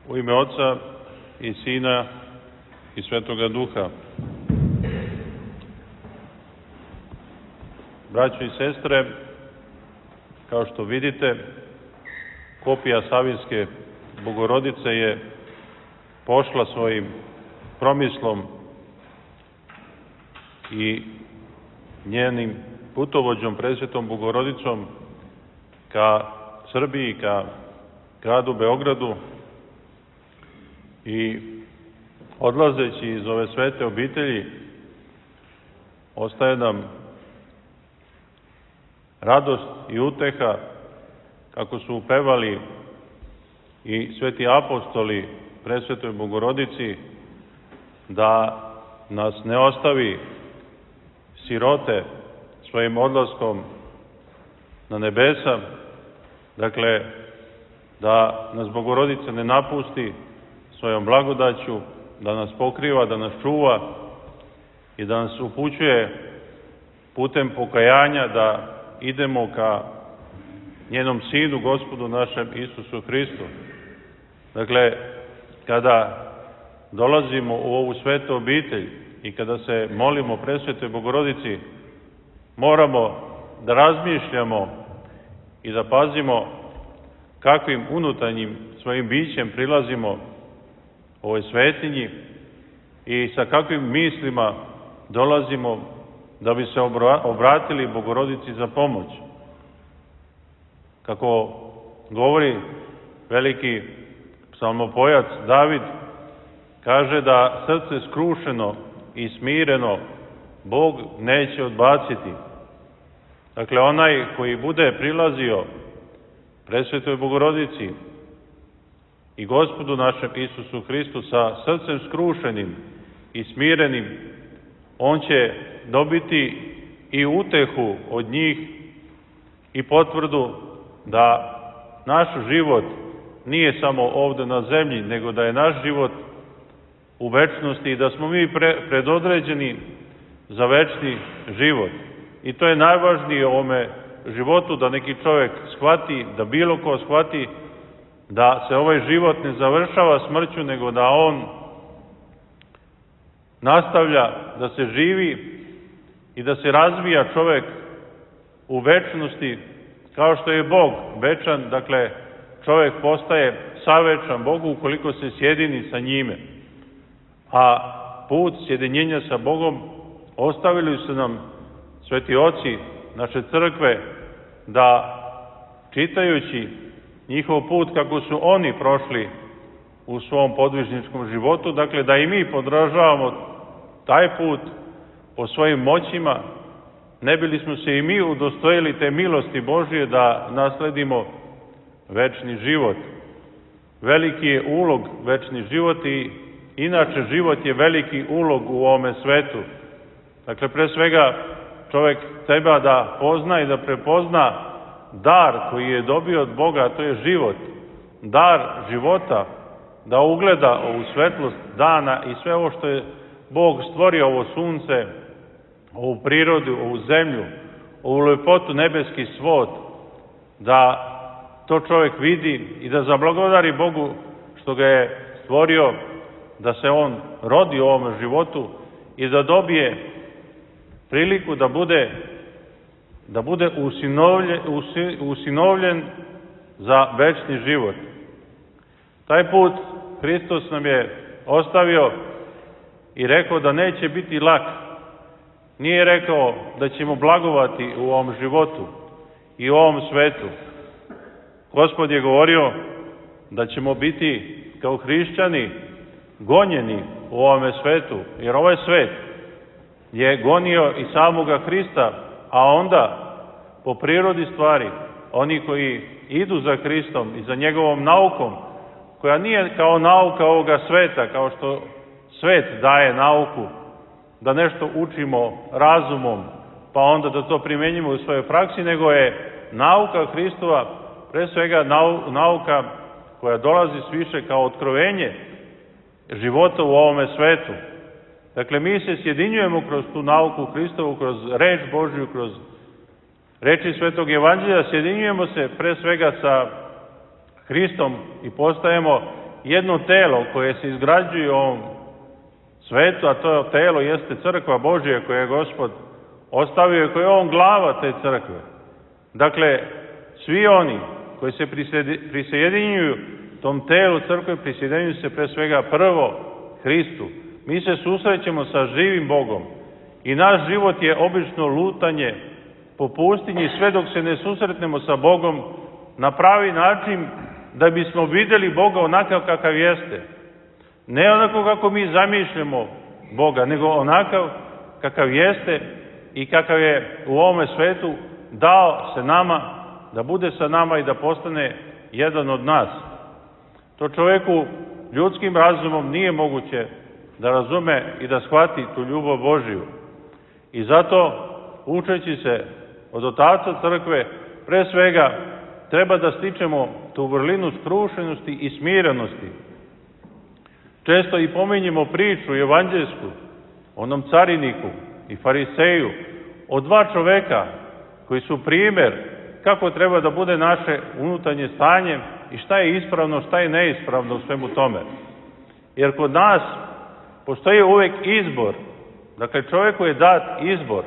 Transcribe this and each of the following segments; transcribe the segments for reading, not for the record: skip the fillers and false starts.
U ime Oca i Sina i Svetoga Duha. Braćo i sestre, kao što vidite, kopija Savinske Bogorodice je pošla svojim promislom i njenim putovođom Presvetom Bogorodicom ka Srbiji, ka gradu Beogradu, i odlazeći iz ove svete obitelji ostaje nam radost i uteha, kako su upevali i sveti apostoli Presvetoj Bogorodici, da nas ne ostavi sirote svojim odlaskom na nebesa, dakle, da nas Bogorodica ne napusti svojom blagodaću, da nas pokriva, da nas čuva i da nas upućuje putem pokajanja da idemo ka njenom Sinu, Gospodu našem Isusu Hristu. Dakle, kada dolazimo u ovu svetu obitelj i kada se molimo Presvetoj Bogorodici, moramo da razmišljamo i da pazimo kakvim unutarnjim svojim bićem prilazimo ovoj svetinji i sa kakvim mislima dolazimo da bi se obratili Bogorodici za pomoć. Kako govori veliki psalmopojac David, kaže da srce skrušeno i smireno Bog neće odbaciti. Dakle, onaj koji bude prilazio Presvetoj Bogorodici i Gospodu našem Isusu Hristu sa srcem skrušenim i smirenim, on će dobiti i utehu od njih i potvrdu da naš život nije samo ovde na zemlji, nego da je naš život u večnosti i da smo mi predodređeni za večni život. I to je najvažnije u ovome životu, da neki čovjek shvati, da bilo ko shvati da se ovaj život ne završava smrću, nego da on nastavlja da se živi i da se razvija čovjek u večnosti, kao što je Bog večan. Dakle, čovjek postaje savečan Bogu ukoliko se sjedini sa njime. A put sjedinjenja sa Bogom ostavili su nam sveti oci naše crkve, da čitajući njihov put kako su oni prošli u svom podvižničkom životu, dakle da i mi podržavamo taj put po svojim moćima, ne bili smo se i mi udostojili te milosti Božije da nasledimo večni život. Veliki je ulog večni život i inače život je veliki ulog u ovome svetu. Dakle, pre svega čovjek treba da pozna i da prepozna dar koji je dobio od Boga, a to je život, dar života, da ugleda ovu svetlost dana i sve ovo što je Bog stvorio, ovo sunce, ovu prirodu, ovu zemlju, ovu lepotu, nebeski svod, da to čovjek vidi i da zablagodari Bogu što ga je stvorio, da se on rodi u ovom životu i da dobije priliku da bude usinovljen za večni život. Taj put Hristos nam je ostavio i rekao da neće biti lak. Nije rekao da ćemo blagovati u ovom životu i u ovom svetu. Gospod je govorio da ćemo biti kao hrišćani gonjeni u ovome svetu, jer ovaj svet je gonio i samoga Hrista, a onda po prirodi stvari oni koji idu za Hristom i za njegovom naukom, koja nije kao nauka ovoga sveta, kao što svet daje nauku, da nešto učimo razumom, pa onda da to primenjimo u svojoj praksi, nego je nauka Hristova pre svega nauka koja dolazi sviše kao otkrovenje života u ovome svetu. Dakle, mi se sjedinjujemo kroz tu nauku Hristovu, kroz reč Božju, kroz reči Svetog Evanđelja, sjedinjujemo se pre svega sa Hristom i postajemo jedno telo koje se izgrađuje u ovom svetu, a to telo jeste crkva Božja koja je Gospod ostavio i koja je on glava te crkve. Dakle, svi oni koji se prisjedinjuju tom telu crkve, prisjedinjuju se pre svega prvo Hristu. Mi se susrećemo sa živim Bogom i naš život je obično lutanje po pustinji sve dok se ne susretnemo sa Bogom na pravi način da bismo vidjeli Boga onakav kakav jeste. Ne onako kako mi zamišljamo Boga, nego onakav kakav jeste i kakav je u ovome svetu dao se nama, da bude sa nama i da postane jedan od nas. To čovjeku ljudskim razumom nije moguće da razume i da shvati tu ljubav Božiju. I zato, učeći se od otaca crkve, pre svega treba da stičemo tu vrlinu skrušenosti i smirenosti. Često i pominjemo priču evanđelsku, onom cariniku i fariseju, o dva čoveka koji su primjer kako treba da bude naše unutarnje stanje i šta je ispravno, šta je neispravno u svemu tome. Jer kod nas postoji uvek izbor. Dakle, čovjeku je dat izbor.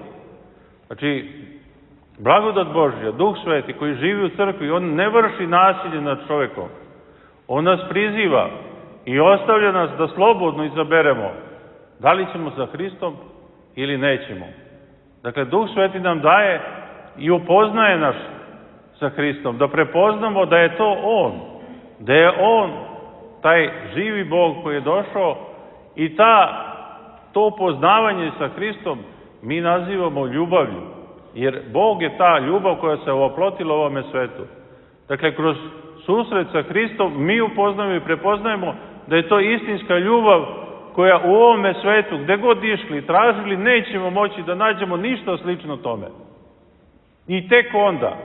Znači, blagodat Božja, Duh Sveti koji živi u crkvi, on ne vrši nasilje nad čovjekom. On nas priziva i ostavlja nas da slobodno izaberemo da li ćemo za Hristom ili nećemo. Dakle, Duh Sveti nam daje i upoznaje nas sa Hristom, da prepoznamo da je to On, da je On taj živi Bog koji je došao i to upoznavanje sa Hristom mi nazivamo ljubavlju, jer Bog je ta ljubav koja se oplotila u ovome svetu. Dakle, kroz susret sa Hristom mi upoznajemo i prepoznajemo da je to istinska ljubav koja u ovome svetu, gde god išli, tražili, nećemo moći da nađemo ništa slično tome. I tek onda,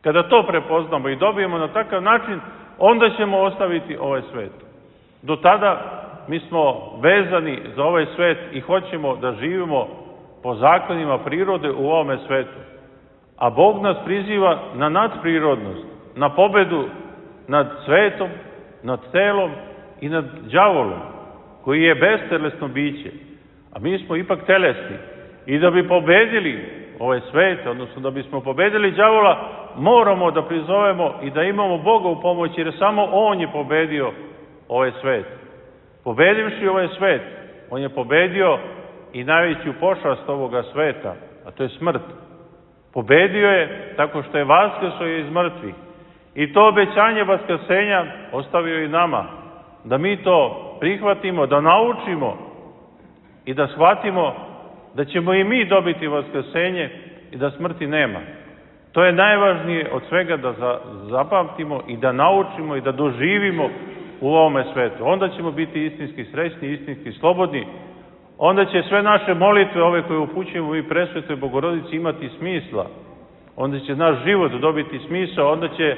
kada to prepoznamo i dobijemo na takav način, onda ćemo ostaviti ovaj svet. Do tada mi smo vezani za ovaj svet i hoćemo da živimo po zakonima prirode u ovome svetu. A Bog nas priziva na nadprirodnost, na pobedu nad svetom, nad telom i nad đavolom, koji je bestelesno biće. A mi smo ipak telesni. I da bi pobedili ovaj svet, odnosno da bismo pobedili đavola, moramo da prizovemo i da imamo Boga u pomoći, jer samo On je pobedio ovaj svet. Pobedivši ovaj svet, On je pobedio i najveću pošast ovoga sveta, a to je smrt. Pobedio je tako što je vaskrsao iz mrtvih. I to obećanje vaskrsenja ostavio i nama, da mi to prihvatimo, da naučimo i da shvatimo da ćemo i mi dobiti vaskrsenje i da smrti nema. To je najvažnije od svega da zapamtimo i da naučimo i da doživimo u ovome svetu. Onda ćemo biti istinski srećni, istinski slobodni. Onda će sve naše molitve, ove koje upućujemo i presvetoj Bogorodici, imati smisla. Onda će naš život dobiti smisao, onda će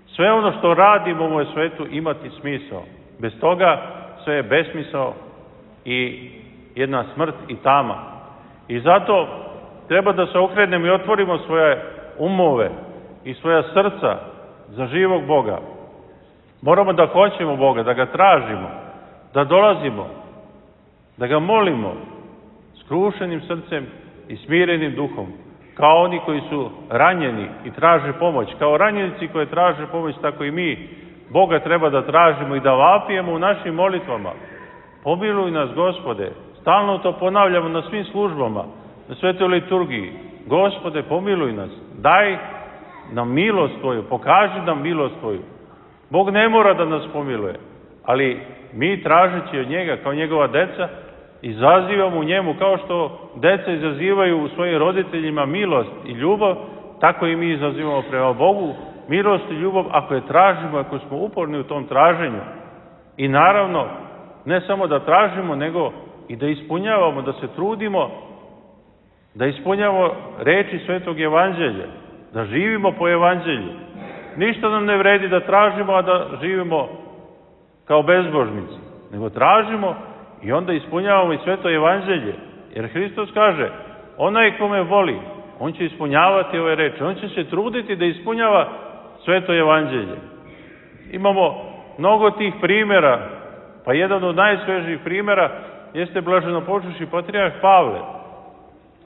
sve ono što radimo u ovom svetu imati smisao. Bez toga sve je besmisao i jedna smrt i tama. I zato treba da se okrenemo i otvorimo svoje umove i svoja srca za živog Boga. Moramo da hoćemo Boga, da ga tražimo, da dolazimo, da ga molimo skrušenim srcem i smirenim duhom, kao oni koji su ranjeni i traže pomoć. Kao ranjenici koji traže pomoć, tako i mi Boga treba da tražimo i da vapijemo u našim molitvama. Pomiluj nas, Gospode. Stalno to ponavljamo na svim službama, na svetoj liturgiji. Gospode, pomiluj nas. Daj nam milost Tvoju, pokaži nam milost Tvoju. Bog ne mora da nas pomiluje, ali mi tražeći od njega kao njegova deca, izazivamo u njemu, kao što deca izazivaju u svojim roditeljima milost i ljubav, tako i mi izazivamo prema Bogu milost i ljubav ako je tražimo, ako smo uporni u tom traženju. I naravno, ne samo da tražimo, nego i da ispunjavamo, da se trudimo, da ispunjavamo reči Svetog Evanđelja, da živimo po Evanđelju. Ništa nam ne vredi da tražimo, a da živimo kao bezbožnici, nego tražimo i onda ispunjavamo i Sveto Evanđelje. Jer Hristos kaže, onaj ko me voli, on će ispunjavati ove reči, on će se truditi da ispunjava Sveto Evanđelje. Imamo mnogo tih primjera, pa jedan od najsvežijih primjera jeste blaženopočivši patrijarh Pavle.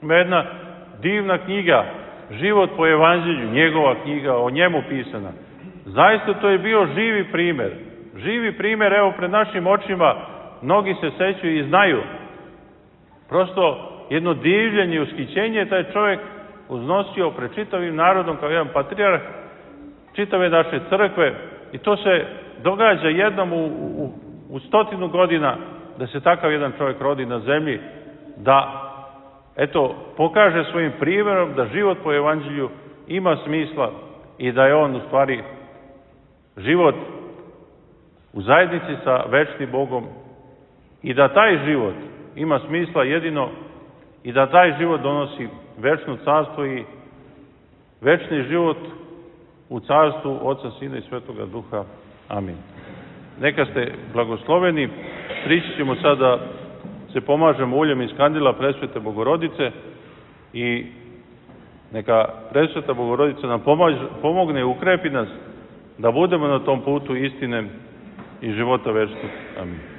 Ima jedna divna knjiga, Život po evanđelju, njegova knjiga, o njemu pisana. Zaista to je bio živi primjer. Živi primjer, evo, pred našim očima, mnogi se sećaju i znaju. Prosto jedno divljenje i ushićenje taj čovjek uznosio pred čitavim narodom kao jedan patrijarh čitave naše crkve i to se događa jednom u 100 godina da se takav jedan čovjek rodi na zemlji, da eto, pokaže svojim primjerom da život po evanđelju ima smisla i da je on u stvari život u zajednici sa večnim Bogom i da taj život ima smisla jedino i da taj život donosi večno carstvo i večni život u carstvu Oca, Sina i Svetoga Duha. Amin. Neka ste blagosloveni. Prići ćemo sada se pomažemo uljem iz kandila Presvete Bogorodice i neka Presveta Bogorodica nam pomogne i ukrepi nas da budemo na tom putu istine i života večnog. Amin.